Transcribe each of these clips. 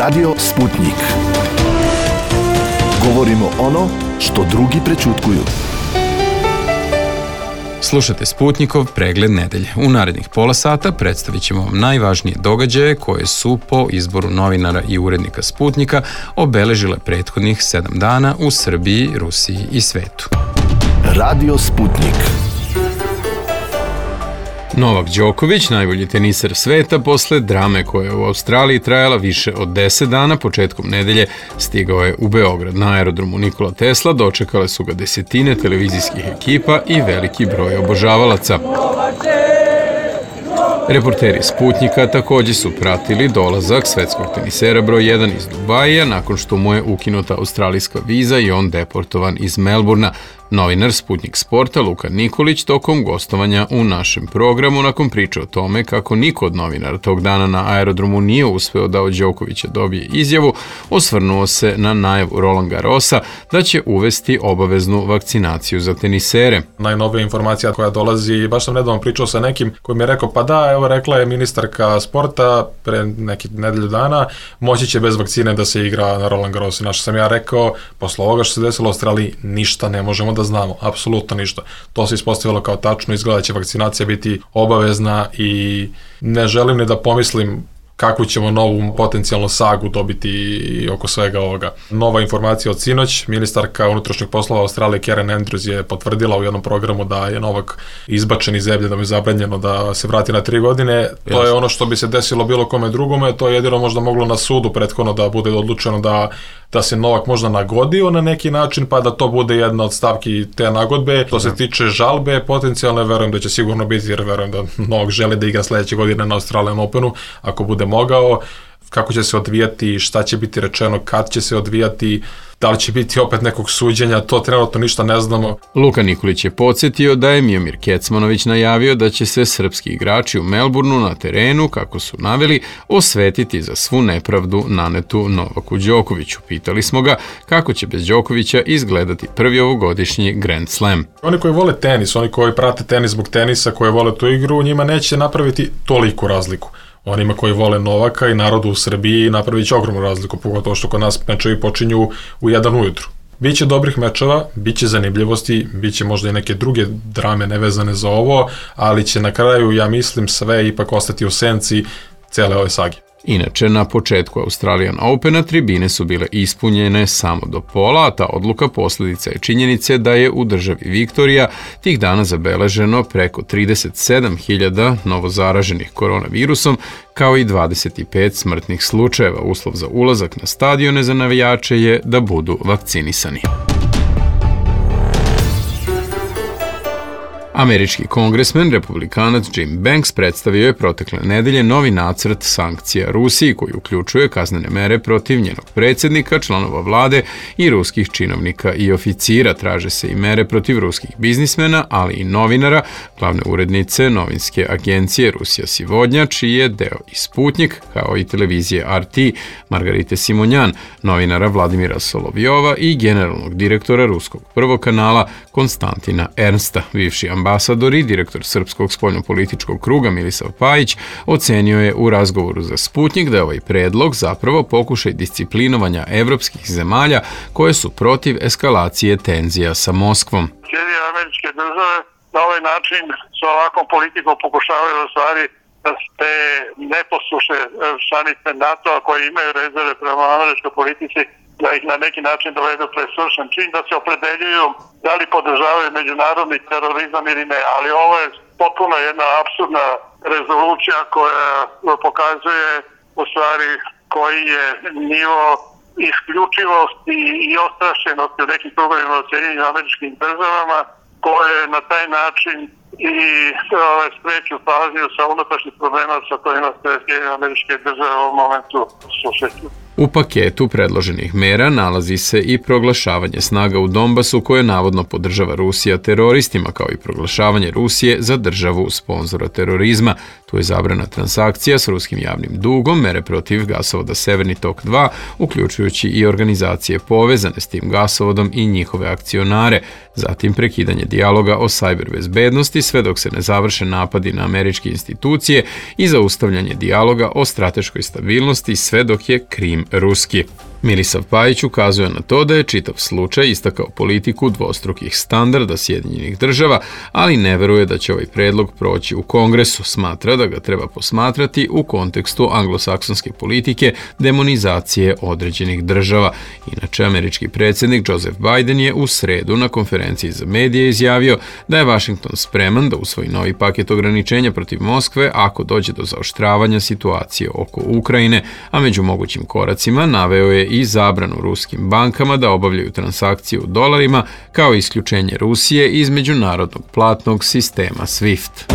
Radio Sputnik. Govorimo ono što drugi prećutkuju. Slušate Sputnikov pregled nedelje. U narednih pola sata predstavit ćemo vam najvažnije događaje koje su po izboru novinara i urednika Sputnika obeležile prethodnih 7 dana u Srbiji, Rusiji i svetu. Radio Sputnik. Novak Đoković, najbolji teniser sveta, posle drame koja je u Australiji trajala više od 10 dana, početkom nedelje stigao je u Beograd. Na aerodromu Nikola Tesla dočekale su ga desetine televizijskih ekipa i veliki broj obožavalaca. Reporteri Sputnika takođe su pratili dolazak svetskog tenisera broj 1 iz Dubaija nakon što mu je ukinuta australijska viza i on deportovan iz Melburna. Novinar Sputnik Sporta Luka Nikolić tokom gostovanja u našem programu nakon priče o tome kako niko od novinara tog dana na aerodromu nije uspeo da od Đokovića dobije izjavu, osvrnuo se na najavu Roland Garrosa da će uvesti obaveznu vakcinaciju za tenisere. Najnovija informacija koja dolazi, baš sam nedavno pričao sa nekim koji mi je rekao, pa da, evo rekla je ministarka sporta pre nekih nedelju dana, moći će bez vakcine da se igra na Roland Garrosu. Našto sam ja rekao, posle ovoga što se desilo u Australiji, ništa ne možemo da znamo, apsolutno ništa. To se ispostavilo kao tačno, izgleda će vakcinacija biti obavezna i ne želim ni da pomislim kakvu ćemo novu potencijalnu sagu dobiti oko svega ovoga. Nova informacija od sinoć, ministarka unutrašnjih poslova Australije Karen Andrews je potvrdila u jednom programu da je Novak izbačen iz zemlje, da mu je zabranjeno da se vrati na 3 godine. To je ono što bi se desilo bilo kome drugome, to je jedino možda moglo na sudu prethodno da bude odlučeno da se Novak možda nagodio na neki način, pa da to bude jedna od stavki te nagodbe. To se tiče žalbe, potencijalno verujem da će sigurno biti, jer verujem da Novak želi da igra sledeće godine na Australian Openu, ako bude mogao. Kako će se odvijati, šta će biti rečeno, kad će se odvijati, da li će biti opet nekog suđenja, to trenutno ništa ne znamo. Luka Nikolić je podsjetio da je Miomir Kecmanović najavio da će se srpski igrači u Melbourneu na terenu, kako su naveli, osvetiti za svu nepravdu nanetu Novaku Đokoviću. Pitali smo ga kako će bez Đokovića izgledati prvi ovogodišnji Grand Slam. Oni koji vole tenis, oni koji prate tenis zbog tenisa, koji vole tu igru, njima neće napraviti toliku razliku. Onima koji vole Novaka i narodu u Srbiji napravit će ogromnu razliku, pogotovo što kod nas mečevi počinju u 1 ujutru. Biće dobrih mečeva, biće zanimljivosti, biće možda i neke druge drame nevezane za ovo, ali će na kraju, ja mislim, sve ipak ostati u senci cele ove sage. Inače, na početku Australian Opena tribine su bile ispunjene samo do pola, a ta odluka posljedica je činjenice da je u državi Viktorija tih dana zabeleženo preko 37.000 novozaraženih koronavirusom, kao i 25 smrtnih slučajeva. Uslov za ulazak na stadione za navijače je da budu vakcinisani. Američki kongresmen, republikanac Jim Banks predstavio je protekle nedelje novi nacrt sankcija Rusiji koji uključuje kaznene mere protiv njenog predsjednika, članova vlade i ruskih činovnika i oficira. Traže se i mere protiv ruskih biznismena, ali i novinara, glavne urednice novinske agencije Rusija Sivodnja, čiji je deo i Sputnik, kao i televizije RT, Margarite Simonjan, novinara Vladimira Solovjova i generalnog direktora ruskog prvog kanala Konstantina Ernsta. Bivši ambasador i direktor Srpskog spoljnopolitičkog kruga Milisav Pajić ocenio je u razgovoru za Sputnik da je ovaj predlog zapravo pokušaj disciplinovanja evropskih zemalja koje su protiv eskalacije tenzija sa Moskvom. Sjedinjene Američke Države na ovaj način sa ovakvom politikom pokušavaju u stvari da te neposlušne članice NATO-a koje imaju rezerve prema američkoj politici, da ih na neki način dovedu pred svršen čin, da se opredeljuju da li podržavaju međunarodni terorizam ili ne. Ali ovo je potpuno jedna apsurdna rezolucija koja pokazuje u stvari koji je nivo isključivosti i ostrašćenosti u nekim krugovima u Sjedinjenim Američkim Državama, koje na taj način i spreću pažnju sa unutrašnjih problema sa kojima se Sjedinjene Američke Države u ovom momentu susreću. U paketu predloženih mera nalazi se i proglašavanje snaga u Donbasu koje navodno podržava Rusija teroristima, kao i proglašavanje Rusije za državu sponzora terorizma. Tu je zabrana transakcija s ruskim javnim dugom, mere protiv gasovoda Severni tok 2, uključujući i organizacije povezane s tim gasovodom i njihove akcionare, zatim prekidanje dijaloga o sajber bezbednosti sve dok se ne završe napadi na američke institucije i zaustavljanje dijaloga o strateškoj stabilnosti sve dok je Krim ruski. Milisav Pajić ukazuje na to da je čitav slučaj istakao politiku dvostrukih standarda Sjedinjenih država, ali ne veruje da će ovaj predlog proći u Kongresu. Smatra da ga treba posmatrati u kontekstu anglosaksonske politike demonizacije određenih država. Inače, američki predsjednik Joseph Biden je u sredu na konferenciji za medije izjavio da je Washington spreman da usvoji novi paket ograničenja protiv Moskve ako dođe do zaoštravanja situacije oko Ukrajine, a među mogućim koracima naveo je i zabranu ruskim bankama da obavljaju transakcije u dolarima, kao i isključenje Rusije iz međunarodnog platnog sistema SWIFT.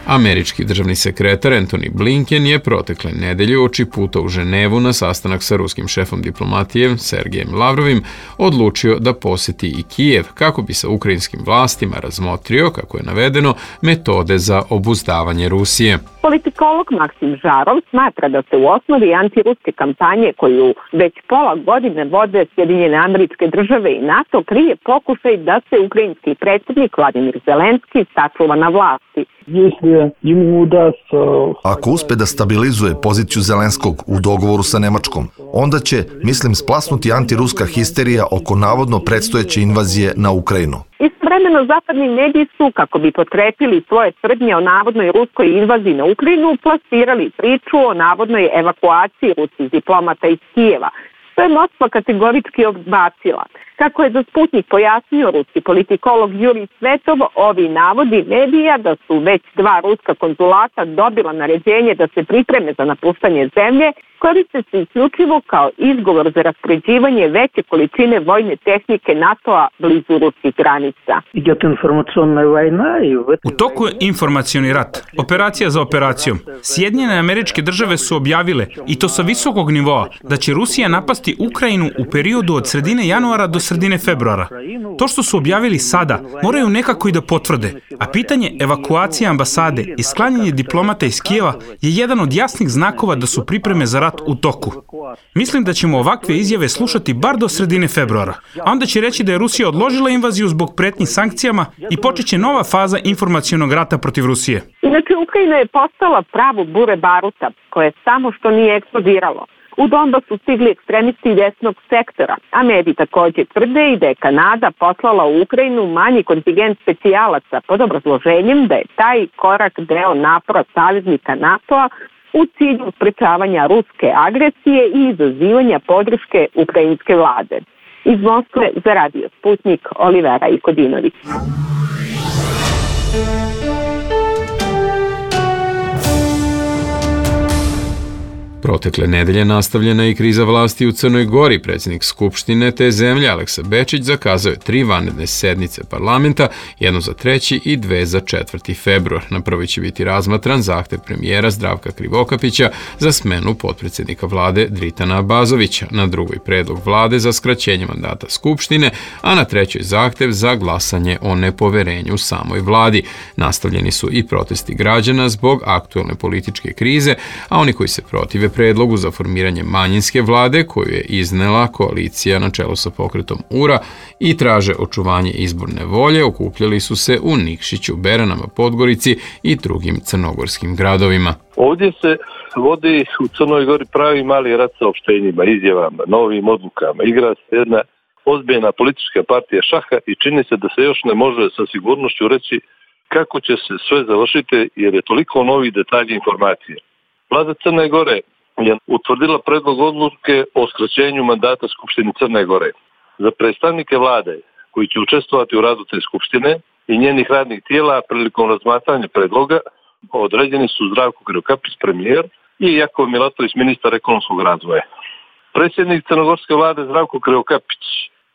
Američki državni sekretar Antony Blinken je protekle nedelje uoči puta u Ženevu na sastanak sa ruskim šefom diplomatije Sergejem Lavrovim odlučio da poseti i Kijev kako bi sa ukrajinskim vlastima razmotrio, kako je navedeno, metode za obuzdavanje Rusije. Politikolog Maksim Žarov smatra da se u osnovi antiruske kampanje koju već pola godine vode Sjedinjene Američke Države i NATO krije pokušaj da se ukrajinski predsjednik Vladimir Zelenski sačuva na vlasti. Ako uspe da stabilizuje poziciju Zelenskog u dogovoru sa Nemačkom, onda će, mislim, splasnuti antiruska histerija oko navodno predstojeće invazije na Ukrajinu. Istovremeno zapadni mediji su, kako bi potkrepili svoje tvrdnje o navodnoj ruskoj invaziji na Ukrajinu, plasirali priču o navodnoj evakuaciji ruskih diplomata iz Kijeva, što je Moskva kategorički odbacila. Kako je za Sputnik pojasnio ruski politikolog Jurij Svetov, ovi navodi medija da su već 2 ruska konzulata dobila naređenje da se pripreme za napuštanje zemlje, koriste se isključivo kao izgovor za raspoređivanje veće količine vojne tehnike NATO-a blizu ruskih granica. U toku je informacioni rat, operacija za operacijom. Sjedinjene Američke Države su objavile, i to sa visokog nivoa, da će Rusija napasti Ukrajinu u periodu od sredine januara do sredine februara. To što su objavili sada, moraju nekako i da potvrde, a pitanje evakuacije ambasade i sklanjanje diplomata iz Kijeva je jedan od jasnih znakova da su pripreme za rat u toku. Mislim da ćemo ovakve izjave slušati bar do sredine februara, a onda će reći da je Rusija odložila invaziju zbog pretnji sankcijama i počeće nova faza informacionog rata protiv Rusije. Inače, Ukrajina je postala pravo bure baruta, koje samo što nije eksplodiralo. U Donbas su stigli ekstremisti desnog sektora, a mediji također tvrde i da je Kanada poslala u Ukrajinu manji kontingent specijalaca pod obrazloženjem da je taj korak deo napora saveznika NATO-a u cilju sprečavanja ruske agresije i izazivanja podrške ukrajinske vlade. Iz Moskve za Radio Sputnik, Olivera Ikodinović. Protekle nedelje nastavljena je i kriza vlasti u Crnoj Gori. Predsjednik Skupštine te zemlje Aleksa Bečić zakazao je 3 vanredne sednice parlamenta, jednu za 3. i 2 za 4. februar. Na prvoj će biti razmatran zahtev premijera Zdravka Krivokapića za smenu potpredsjednika vlade Dritana Abazovića, na drugoj predlog vlade za skraćenje mandata Skupštine, a na 3. zahtev za glasanje o nepoverenju samoj vladi. Nastavljeni su i protesti građana zbog aktuelne političke krize, a oni koji se protive predlogu za formiranje manjinske vlade koju je iznela koalicija na čelu sa pokretom URA i traže očuvanje izborne volje, okupljali su se u Nikšiću, Beranama, Podgorici i drugim crnogorskim gradovima. Ovdje se vodi u Crnoj Gori pravi mali rat sa opštenjima, izjavama, novim odlukama. Igra se jedna ozbiljna politička partija šaha i čini se da se još ne može sa sigurnošću reći kako će se sve završiti jer je toliko novih detalja informacije. Vlada Crne Gore je utvrdila predlog odluke o skraćenju mandata Skupštine Crne Gore. Za predstavnike vlade koji će učestvovati u radu te skupštine i njenih radnih tijela prilikom razmatranja predloga određeni su Zdravko Krivokapić, premijer, i Jakov Milatović, ministar ekonomskog razvoja. Predsjednik crnogorske vlade Zdravko Krivokapić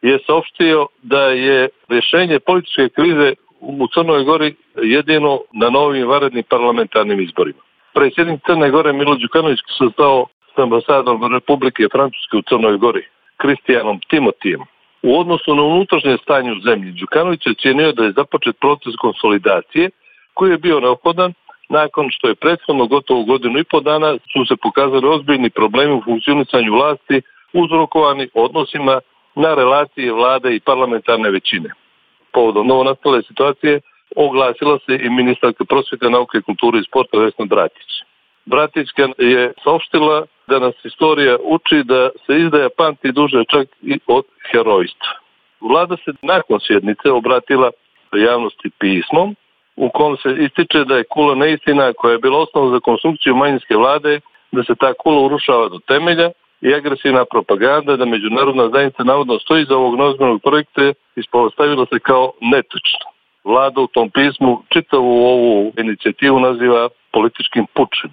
je saopštio da je rješenje političke krize u Crnoj Gori jedino na novim vanrednim parlamentarnim izborima. Predsjednik Crne Gore Milo Đukanović sastao s ambasadorom Republike Francuske u Crnoj Gori, Kristijanom Timotijem. U odnosu na unutrašnje stanje u zemlji, Đukanović je cijenio da je započet proces konsolidacije koji je bio neophodan nakon što je prethodno gotovo 1,5 godinu dana su se pokazali ozbiljni problemi u funkcionisanju vlasti uzrokovani odnosima na relacije vlade i parlamentarne većine. Povodom novonastale situacije oglasila se i ministarka prosvjete, nauke, kulture i sporta Vesna Bratić. Bratićka je saopštila da nas istorija uči da se izdaja pamti duže čak i od herojstva. Vlada se nakon sjednice obratila javnosti pismom u kom se ističe da je kula neistina koja je bila osnova za konstrukciju manjinske vlade, da se ta kula urušava do temelja i agresivna propaganda da međunarodna zajednica navodno stoji za ovog neozbiljnog projekta ispostavila se kao netočno. Vlada u tom pismu čitavu ovu inicijativu naziva političkim pučem.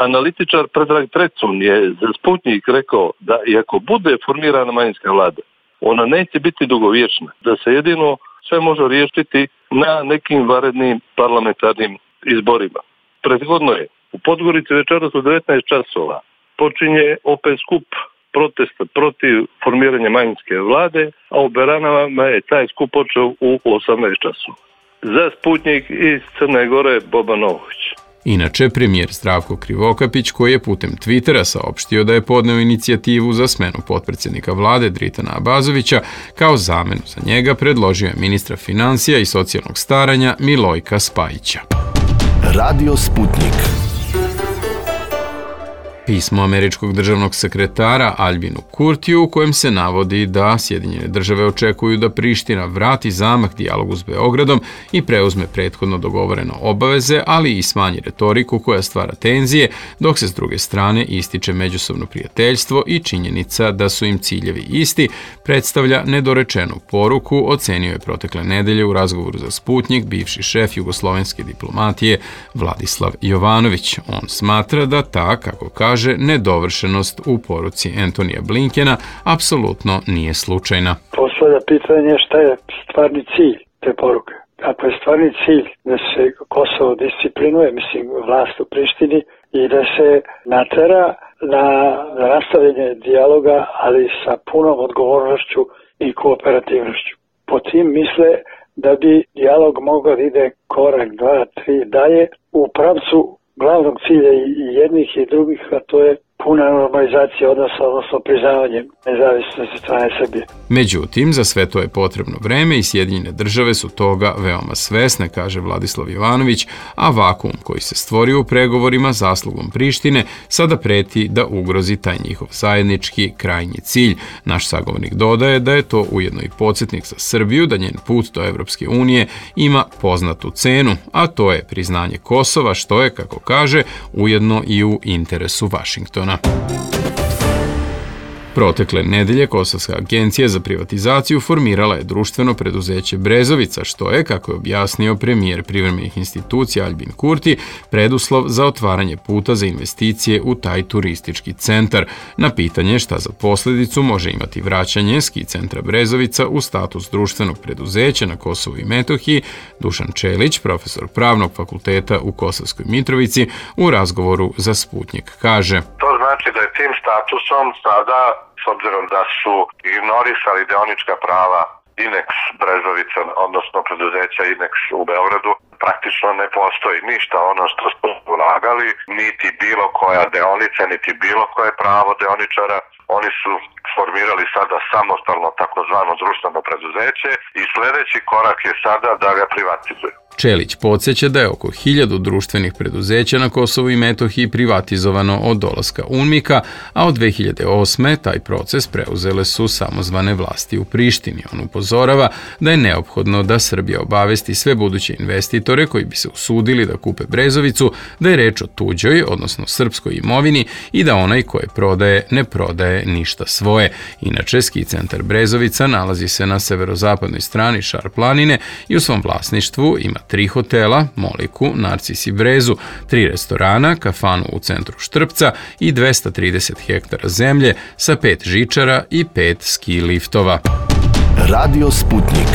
Analitičar Predrag Trecun je za Sputnjik rekao da iako bude formirana manjinska vlada, ona neće biti dugovječna, da se jedino sve može riješiti na nekim vanrednim parlamentarnim izborima. Prethodno je u Podgorici večeras u 19 časova počinje opet skup protesta protiv formiranja manjinske vlade, a u Beranama je taj skup počeo u 18 časova. Za Sputnjik iz Crne Gore, Boban Novović. Inače, premijer Zdravko Krivokapić, koji je putem Twittera saopštio da je podneo inicijativu za smenu potpredsjednika vlade Dritana Abazovića, kao zamenu za njega predložio je ministra financija i socijalnog staranja Milojka Spajića. Radio Sputnik. Pismo američkog državnog sekretara Albinu Kurtiju u kojem se navodi da Sjedinjene države očekuju da Priština vrati zamah dijalogu s Beogradom i preuzme prethodno dogovoreno obaveze, ali i smanji retoriku koja stvara tenzije, dok se s druge strane ističe međusobno prijateljstvo i činjenica da su im ciljevi isti, predstavlja nedorečenu poruku, ocenio je protekle nedelje u razgovoru za Sputnjik bivši šef jugoslovenske diplomatije Vladislav Jovanović. On smatra da ta, kako kaže, nedovršenost u poruci Antonija Blinkena apsolutno nije slučajna. Postavlja pitanje šta je stvarni cilj te poruke. Ako je stvarni cilj da se Kosovo disciplinuje, mislim, vlast u Prištini i da se natera na nastavljanje dijaloga, ali sa punom odgovornošću i kooperativnošću. Po tim misle da bi dijalog mogao da ide korak, 2, 3 dalje u pravcu glavnog cilja i jednih i drugih, a to je puna normalizacija odnosno priznavanje nezavisnosti strane Srbije. Međutim, za sve to je potrebno vreme i Sjedinjene države su toga veoma svesne, kaže Vladislav Jovanović, a vakuum koji se stvorio u pregovorima zaslugom Prištine sada preti da ugrozi taj njihov zajednički krajnji cilj. Naš sagovornik dodaje da je to ujedno i podsjetnik za Srbiju da njen put do Evropske unije ima poznatu cenu, a to je priznanje Kosova, što je, kako kaže, ujedno i u interesu Vašingtona. Protekle nedelje Kosovska agencija za privatizaciju formirala je društveno preduzeće Brezovica, što je, kako je objasnio premijer privremenih institucija Albin Kurti, preduslov za otvaranje puta za investicije u taj turistički centar. Na pitanje šta za posljedicu može imati vraćanje ski centra Brezovica u status društvenog preduzeća na Kosovu i Metohiji, Dušan Čelić, profesor pravnog fakulteta u Kosovskoj Mitrovici, u razgovoru za Sputnjik kaže: To znači da je tim statusom sada, s obzirom da su ignorisali dionička prava Inex Brezovica, odnosno preduzeća Inex u Beogradu, praktično ne postoji ništa ono što su ulagali, niti bilo koja deonica, niti bilo koje pravo deoničara. Oni su formirali sada samostalno takozvano društveno preduzeće i sljedeći korak je sada da ga privatizuju. Čelić podsjeća da je oko 1000 društvenih preduzeća na Kosovu i Metohiji privatizovano od dolaska UNMIK-a, a od 2008. taj proces preuzele su samozvane vlasti u Prištini. On upozorava da je neophodno da Srbija obavesti sve buduće investitore koji bi se usudili da kupe Brezovicu, da je reč o tuđoj, odnosno srpskoj imovini i da onaj koje prodaje ne prodaje ništa svoje. Inače, ski centar Brezovica nalazi se na severozapadnoj strani Šar planine i u svom vlasništvu ima 3 hotela, Moliku, Narcis i Brezu, 3 restorana, kafanu u centru Štrpca i 230 hektara zemlje sa 5 žičara i 5 ski liftova. Radio Sputnik.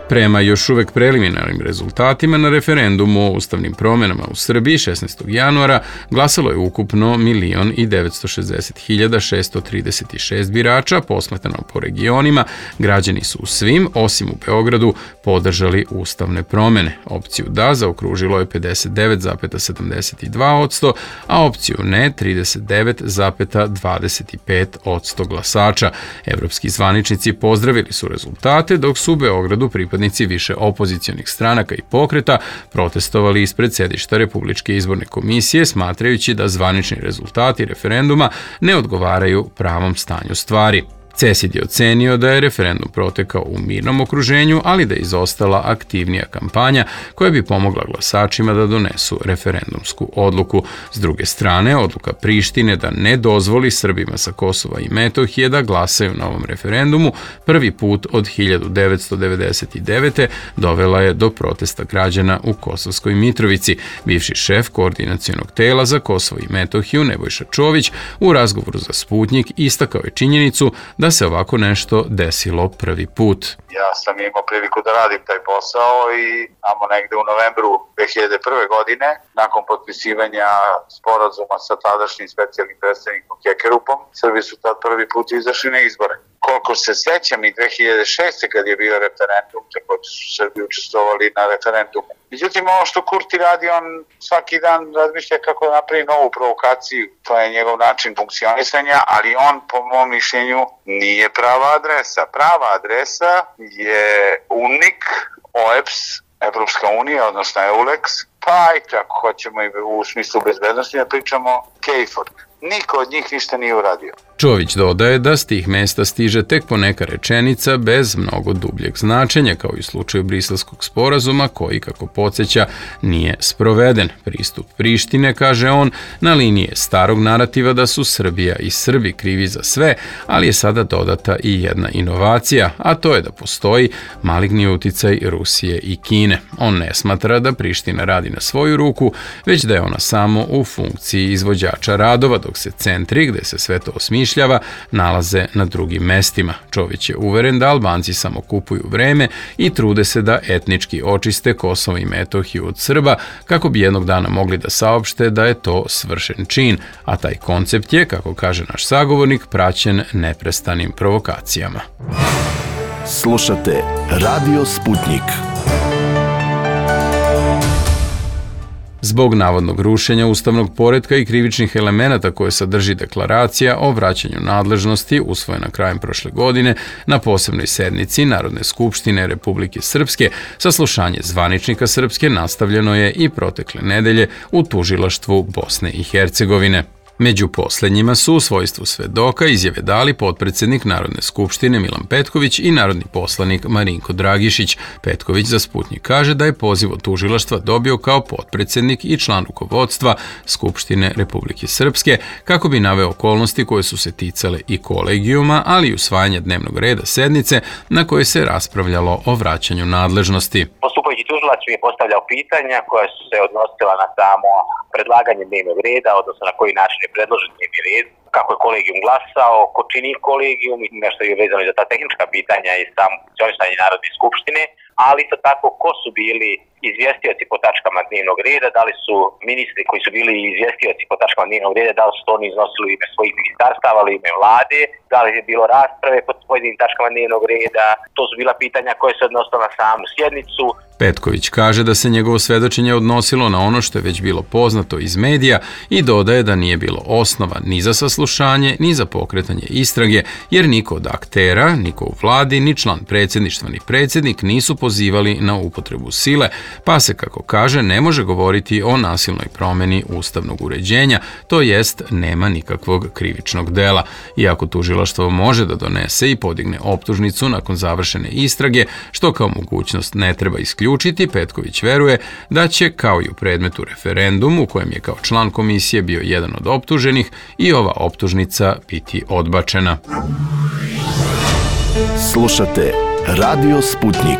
Prema još uvek preliminarnim rezultatima na referendumu o ustavnim promjenama u Srbiji 16. januara glasalo je ukupno 1.960.636 birača, posmatrano po regionima. Građani su u svim, osim u Beogradu, podržali ustavne promjene. Opciju da zaokružilo je 59,72%, a opciju ne 39,25% glasača. Evropski zvaničnici pozdravili su rezultate, dok su u Beogradu pripadnici pripadnici više opozicionih stranaka i pokreta protestovali ispred sedišta Republičke izborne komisije, smatrajući da zvanični rezultati referenduma ne odgovaraju pravom stanju stvari. CESID je ocenio da je referendum protekao u mirnom okruženju, ali da je izostala aktivnija kampanja koja bi pomogla glasačima da donesu referendumsku odluku. S druge strane, odluka Prištine da ne dozvoli Srbima sa Kosova i Metohije da glasaju na ovom referendumu prvi put od 1999. dovela je do protesta građana u Kosovskoj Mitrovici. Bivši šef koordinacionog tela za Kosovo i Metohiju Nebojša Čović u razgovoru za Sputnjik istakao je činjenicu da se ovako nešto desilo prvi put. Ja sam imao priliku da radim taj posao i tamo negde u novembru 2001. godine, nakon potpisivanja sporazuma sa tadašnjim specijalnim predstavnikom Kekerupom, Srbi su tad prvi put izašli na izbore. Koliko se sećam i 2006. kad je bio referendum, također su Srbi učestvovali na referendumu. Međutim, ovo što Kurti radi, on svaki dan razmišlja kako da napravi novu provokaciju. To je njegov način funkcionisanja, ali on, po mom mišljenju, nije prava adresa. Prava adresa je UNIC, OEBS, Evropska unija, odnosno EULEX, pa i ako hoćemo i u smislu bezbednosti da pričamo KFOR. Niko od njih ništa nije uradio. Čović dodaje da s tih mesta stiže tek poneka rečenica bez mnogo dubljeg značenja, kao i u slučaju Briselskog sporazuma, koji, kako podsjeća, nije sproveden. Pristup Prištine, kaže on, na liniji je starog narativa da su Srbija i Srbi krivi za sve, ali je sada dodata i jedna inovacija, a to je da postoji maligni uticaj Rusije i Kine. On ne smatra da Priština radi na svoju ruku, već da je ona samo u funkciji izvođača radova, dok se centri, gde se sve to osmišljava, nalaze na drugim mestima. Čović je uveren da Albanci samo kupuju vreme i trude se da etnički očiste Kosovo i Metohiju od Srba, kako bi jednog dana mogli da saopšte da je to svršen čin, a taj koncept je, kako kaže naš sagovornik, praćen neprestanim provokacijama. Slušate Radio Sputnjik. Zbog navodnog rušenja ustavnog poretka i krivičnih elemenata koje sadrži deklaracija o vraćanju nadležnosti usvojena krajem prošle godine na posebnoj sednici Narodne skupštine Republike Srpske, saslušanje zvaničnika Srpske nastavljeno je i protekle nedelje u tužilaštvu Bosne i Hercegovine. Među poslednjima su u svojstvu svedoka izjave dali potpredsednik Narodne skupštine Milan Petković i narodni poslanik Marinko Dragišić. Petković za Sputnjik kaže da je poziv od tužilaštva dobio kao potpredsednik i član rukovodstva Skupštine Republike Srpske, kako bi naveo okolnosti koje su se ticale i kolegijuma, ali i usvajanja dnevnog reda sednice na kojoj se raspravljalo o vraćanju nadležnosti. Postupajući tužilac mi je postavljao pitanja koja su se odnosila na samo predlaganje dnevnog reda, odnosno na koji način je predložen dnevni red, kako je kolegijum glasao, ko čini kolegijum, nešto je vezano i za ta tehnička pitanja i samo funkcionisanje Narodne skupštine, ali isto tako ko su bili izvjestioci po tačkama dnevnog reda, da li su ministri koji su bili izvjestioci po tačkama dnevnog reda, da li su to oni iznosili u ime svojih ministarstava, ali u ime vlade, da li je bilo rasprave po pojedinim tačkama dnevnog reda, to su bila pitanja koje se odnosila na samu sjednicu. Petković kaže da se njegovo svedočenje odnosilo na ono što je već bilo poznato iz medija i dodaje da nije bilo osnova ni za saslušanje, ni za pokretanje istrage, jer niko od aktera, niko u vladi, ni član predsjedništva, ni predsjednik nisu pozivali na upotrebu sile, pa se, kako kaže, ne može govoriti o nasilnoj promeni ustavnog uređenja, to jest nema nikakvog krivičnog dela. Iako tužilaštvo može da donese i podigne optužnicu nakon završene istrage, što kao mogućnost ne treba isključiti, Petković veruje da će, kao i u predmetu referendumu, u kojem je kao član komisije bio jedan od optuženih, i ova optužnica biti odbačena. Slušate Radio Sputnjik.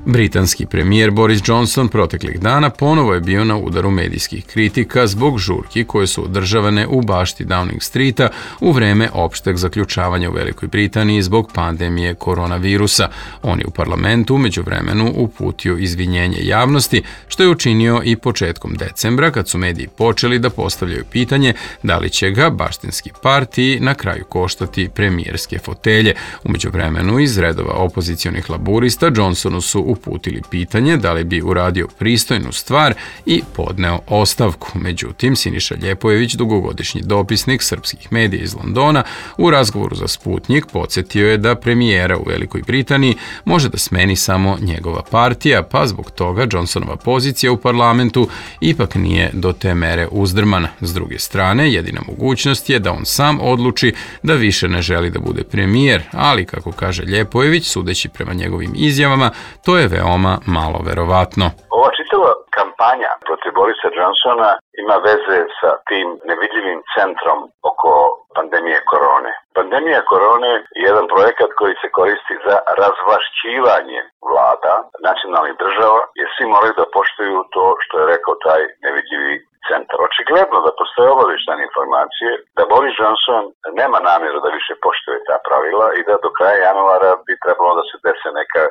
Britanski premijer Boris Johnson proteklih dana ponovo je bio na udaru medijskih kritika zbog žurki koje su održavane u bašti Downing Streeta u vreme opšteg zaključavanja u Velikoj Britaniji zbog pandemije koronavirusa. On je u parlamentu međuvremenu uputio izvinjenje javnosti, što je učinio i početkom decembra, kad su mediji počeli da postavljaju pitanje da li će ga baštinski partiji na kraju koštati premijerske fotelje. U međuvremenu iz redova opozicionih laburista Johnsonu su uputili pitanje da li bi uradio pristojnu stvar i podneo ostavku. Međutim, Siniša Ljepojević, dugogodišnji dopisnik srpskih medija iz Londona, u razgovoru za Sputnjik podsjetio je da premijera u Velikoj Britaniji može da smeni samo njegova partija, pa zbog toga Johnsonova pozicija u parlamentu ipak nije do te mere uzdrmana. S druge strane, jedina mogućnost je da on sam odluči da više ne želi da bude premijer, ali kako kaže Ljepojević, sudeći prema njegovim izjavama, to je veoma malo verovatno. Ova čitava kampanja protiv Borisa Johnsona ima veze sa tim nevidljivim centrom oko pandemije korone. Pandemija korone je jedan projekat koji se koristi za razvlašćivanje vlada, nacionalnih država, jer svi moraju da poštuju to što je rekao taj nevidljivi centar. Očigledno da postoje obavještajne informacije da Boris Johnson nema namjeru da više poštuje ta pravila i da do kraja januara bi trebalo da se dese neka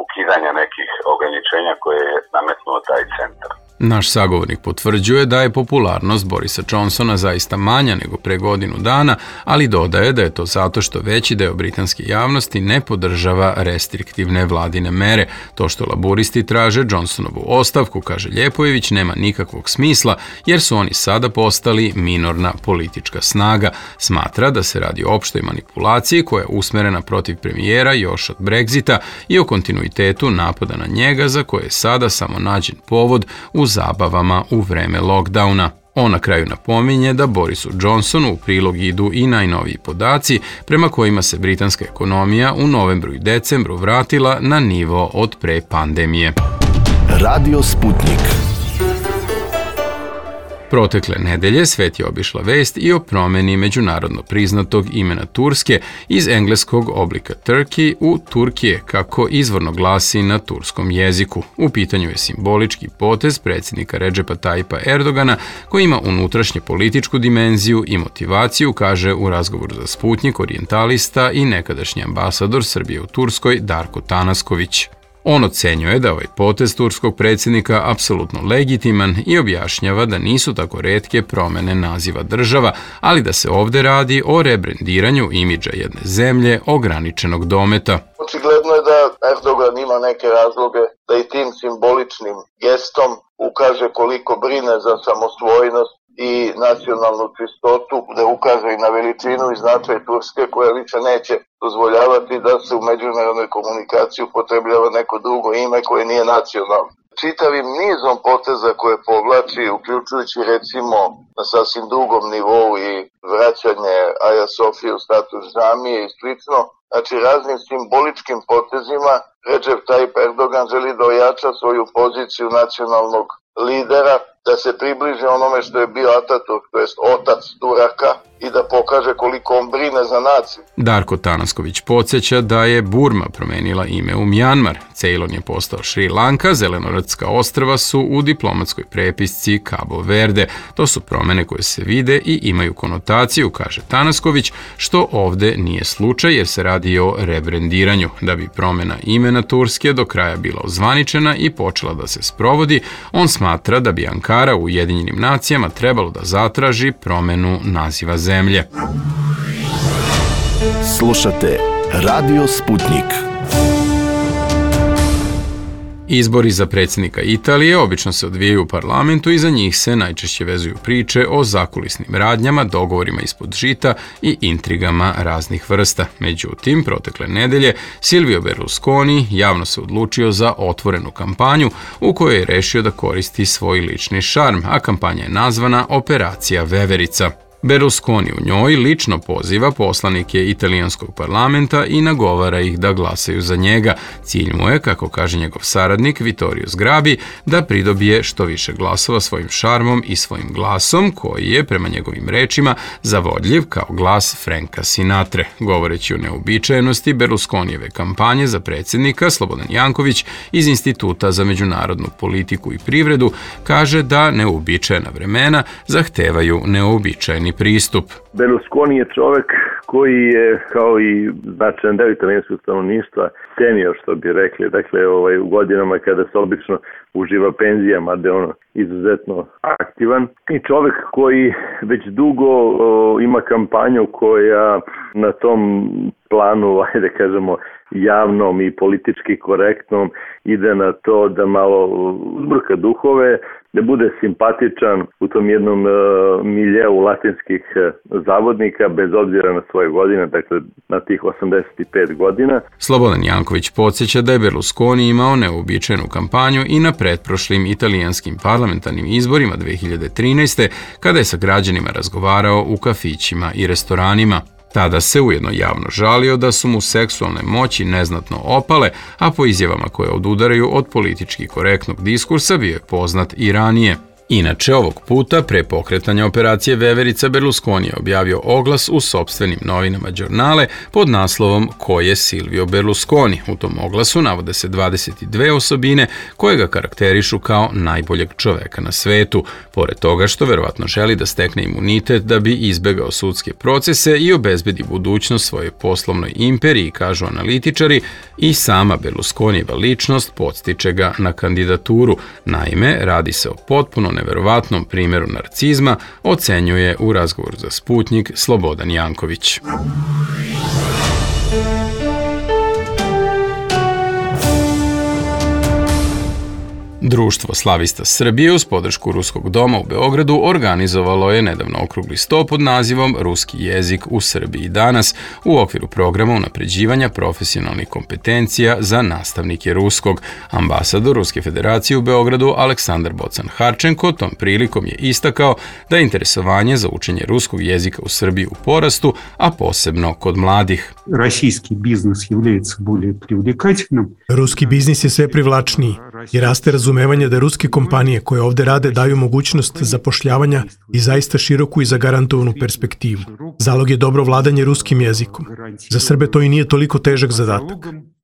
ukidanja nekih ograničenja koje je nametnuo taj centar. Naš sagovornik potvrđuje da je popularnost Borisa Johnsona zaista manja nego pre godinu dana, ali dodaje da je to zato što veći deo britanske javnosti ne podržava restriktivne vladine mere. To što laburisti traže Johnsonovu ostavku, kaže Ljepojević, nema nikakvog smisla jer su oni sada postali minorna politička snaga. Smatra da se radi o opštoj manipulaciji koja je usmerena protiv premijera još od Brexita i o kontinuitetu napada na njega za koje je sada samo nađen povod u zabavama u vreme lockdowna. On na kraju napominje da Borisu Johnsonu u prilog idu i najnoviji podaci prema kojima se britanska ekonomija u novembru i decembru vratila na nivo od pre pandemije. Radio Sputnik. Protekle nedelje svet je obišla vest i o promeni međunarodno priznatog imena Turske iz engleskog oblika Turkey u Turkije, kako izvorno glasi na turskom jeziku. U pitanju je simbolički potez predsjednika Redžepa Tajipa Erdogana koji ima unutrašnje političku dimenziju i motivaciju, kaže u razgovoru za Sputnjik orijentalista i nekadašnji ambasador Srbije u Turskoj Darko Tanasković. On ocenjuje da ovaj potez turskog predsjednika apsolutno legitiman i objašnjava da nisu tako retke promene naziva država, ali da se ovde radi o rebrendiranju imidža jedne zemlje ograničenog dometa. Očigledno je da Erdogan ima neke razloge da i tim simboličnim gestom ukaže koliko brine za samosvojnost i nacionalnu čistotu, da ukaže i na veličinu i značaj Turske koja više neće dozvoljavati da se u međunarodnoj komunikaciji upotrebljava neko drugo ime koje nije nacionalno. Čitavim nizom poteza koje povlači, uključujući recimo na sasvim drugom nivou i vraćanje Aja Sofije u status džamije i slično, znači raznim simboličkim potezima Recep Tayyip Erdogan želi da ojača svoju poziciju nacionalnog lidera, da se približi onome što je bio Ataturk, to jest otac Turaka, i da pokaže koliko on brine za naciju. Darko Tanasković podsjeća da je Burma promenila ime u Mjanmar, Ceylon je postao Šri Lanka, Zelenorodska ostrva su u diplomatskoj prepisci Cabo Verde. To su promene koje se vide i imaju konotaciju, kaže Tanasković, što ovde nije slučaj jer se radi o rebrendiranju. Da bi promena imena Turske do kraja bila ozvaničena i počela da se sprovodi, on smatra da bi Ankara u Ujedinjenim nacijama trebalo da zatraži promenu naziva zemlje. Slušate Radio Sputnik. Izbori za predsjednika Italije obično se odvijaju u parlamentu i za njih se najčešće vezuju priče o zakulisnim radnjama, dogovorima ispod žita i intrigama raznih vrsta. Međutim, protekle nedelje Silvio Berlusconi javno se odlučio za otvorenu kampanju u kojoj je rešio da koristi svoj lični šarm, a kampanja je nazvana Operacija Veverica. Berlusconi u njoj lično poziva poslanike italijanskog parlamenta i nagovara ih da glasaju za njega. Cilj mu je, kako kaže njegov saradnik Vittorio Sgrabi, da pridobije što više glasova svojim šarmom i svojim glasom, koji je, prema njegovim rečima, zavodljiv kao glas Franka Sinatre. Govoreći o neobičajenosti Berlusconijeve kampanje za predsjednika, Slobodan Janković iz Instituta za međunarodnu politiku i privredu kaže da neuobičajena vremena zahtevaju neuobičajeni pristup. Berlusconi je čovek koji je, kao i značajan deo italijanskog stanovništva, senior, što bi rekli, dakle u godinama kada se obično uživa penzijama, da je ono izuzetno aktivan. I čovek koji već dugo ima kampanju koja na tom planu, ajde kažemo, javnom i politički korektnom ide na to da malo uzburka duhove, da bude simpatičan u tom jednom miljeu latinskih zavodnika bez obzira na svoje godine, dakle na tih 85 godina. Slobodan Janković podsjeća da je Berlusconi imao neuobičajenu kampanju i na pretprošlim italijanskim parlamentarnim izborima 2013. kada je sa građanima razgovarao u kafićima i restoranima. Tada se ujedno javno žalio da su mu seksualne moći neznatno opale, a po izjavama koje odudaraju od politički korektnog diskursa bio je poznat i ranije. Inače, ovog puta, pre pokretanja operacije Veverica, Berlusconi je objavio oglas u sopstvenim novinama Giornale pod naslovom Ko je Silvio Berlusconi. U tom oglasu navode se 22 osobine koje ga karakterišu kao najboljeg čoveka na svetu. Pored toga što verovatno želi da stekne imunitet da bi izbegao sudske procese i obezbedi budućnost svojoj poslovnoj imperiji, kažu analitičari, i sama Berlusconijeva ličnost podstiče ga na kandidaturu. Naime, radi se o potpuno neverovatnom primjeru narcizma, ocenjuje u razgovoru za Sputnik Slobodan Janković. Društvo slavista Srbije uz podršku Ruskog doma u Beogradu organizovalo je nedavno okrugli sto pod nazivom Ruski jezik u Srbiji danas u okviru programa unapređivanja profesionalnih kompetencija za nastavnike ruskog. Ambasador Ruske federacije u Beogradu Aleksandar Bocan-Harčenko tom prilikom je istakao da je interesovanje za učenje ruskog jezika u Srbiji u porastu, a posebno kod mladih. Российский biznis является более привлекательным. Ruski biznis je sve privlačniji i raste razumevanje da ruske kompanije koje ovde rade daju mogućnost zapošljavanja i zaista široku i zagarantovanu perspektivu. Zalog je dobro vladanje ruskim jezikom. Za Srbe to i nije toliko težak zadatak.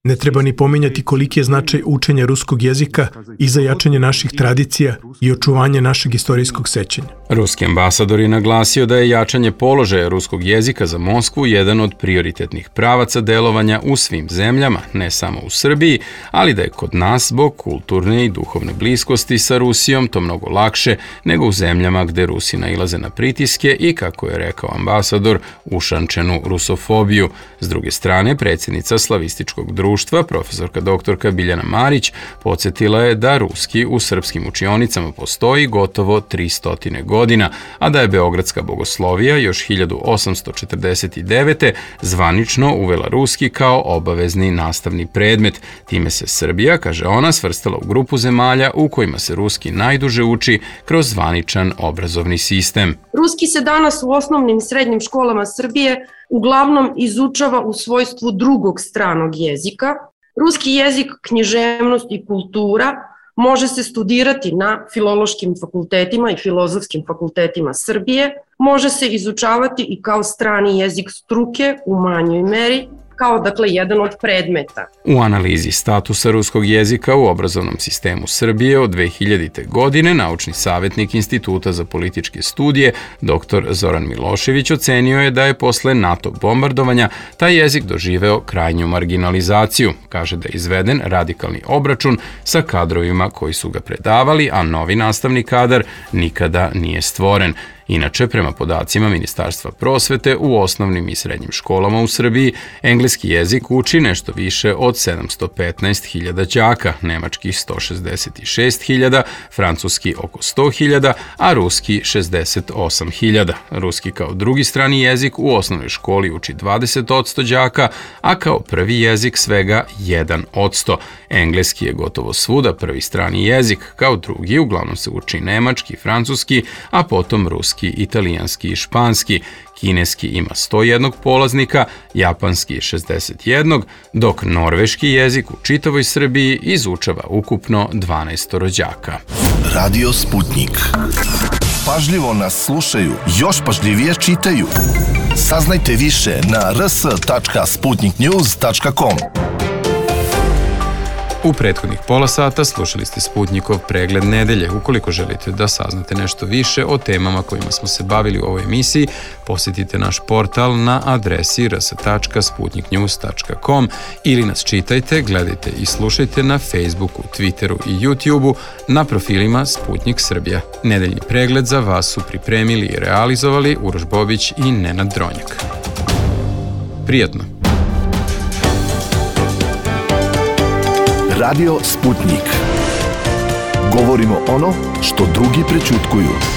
Ne treba ni pominjati koliki je značaj učenja ruskog jezika i za jačanje naših tradicija i očuvanje našeg istorijskog sećanja. Ruski ambasador je naglasio da je jačanje položaja ruskog jezika za Moskvu jedan od prioritetnih pravaca delovanja u svim zemljama, ne samo u Srbiji, ali da je kod nas zbog kulturne i duhovne bliskosti sa Rusijom to mnogo lakše nego u zemljama gde Rusi nailaze na pritiske i, kako je rekao ambasador, ušančenu rusofobiju. S druge strane, predsjednica slavističkog društva, profesorka doktorka Biljana Marić, podsjetila je da ruski u srpskim učionicama postoji gotovo 300 godina, a da je Beogradska bogoslovija još 1849. zvanično uvela ruski kao obavezni nastavni predmet. Time se Srbija, kaže ona, svrstala u grupu zemalja u kojima se ruski najduže uči kroz zvaničan obrazovni sistem. Ruski se danas u osnovnim i srednjim školama Srbije uglavnom izučava u svojstvu drugog stranog jezika. Ruski jezik, književnost i kultura može se studirati na filološkim fakultetima i filozofskim fakultetima Srbije, može se izučavati i kao strani jezik struke u manjoj meri, kao dakle jedan od predmeta. U analizi statusa ruskog jezika u obrazovnom sistemu Srbije od 2000. godine naučni savjetnik Instituta za političke studije dr. Zoran Milošević ocenio je da je posle NATO bombardovanja taj jezik doživeo krajnju marginalizaciju. Kaže da je izveden radikalni obračun sa kadrovima koji su ga predavali, a novi nastavni kadar nikada nije stvoren. Inače, prema podacima Ministarstva prosvete, u osnovnim i srednjim školama u Srbiji engleski jezik uči nešto više od 715.000 đaka, nemački 166.000, francuski oko 100.000, a ruski 68.000. Ruski kao drugi strani jezik u osnovnoj školi uči 20% đaka, a kao prvi jezik svega 1%. Engleski je gotovo svuda prvi strani jezik, kao drugi uglavnom se uči nemački, francuski, a potom ruski, italijanski i španski. Kineski ima 101 polaznika, japanski 61, dok norveški jezik u čitavoj Srbiji izučava ukupno 12 rođaka. Radio Sputnik. Pažljivo nas slušaju, još pažljivije čitaju. Saznajte više na rs.sputniknews.com. U prethodnih pola sata slušali ste Sputnikov pregled nedelje. Ukoliko želite da saznate nešto više o temama kojima smo se bavili u ovoj emisiji, posjetite naš portal na adresi rs.sputniknews.com ili nas čitajte, gledajte i slušajte na Facebooku, Twitteru i YouTubeu na profilima Sputnik Srbija. Nedeljni pregled za vas su pripremili i realizovali Uroš Bobić i Nenad Dronjak. Prijatno! Radio Sputnik. Govorimo ono što drugi prećutkuju.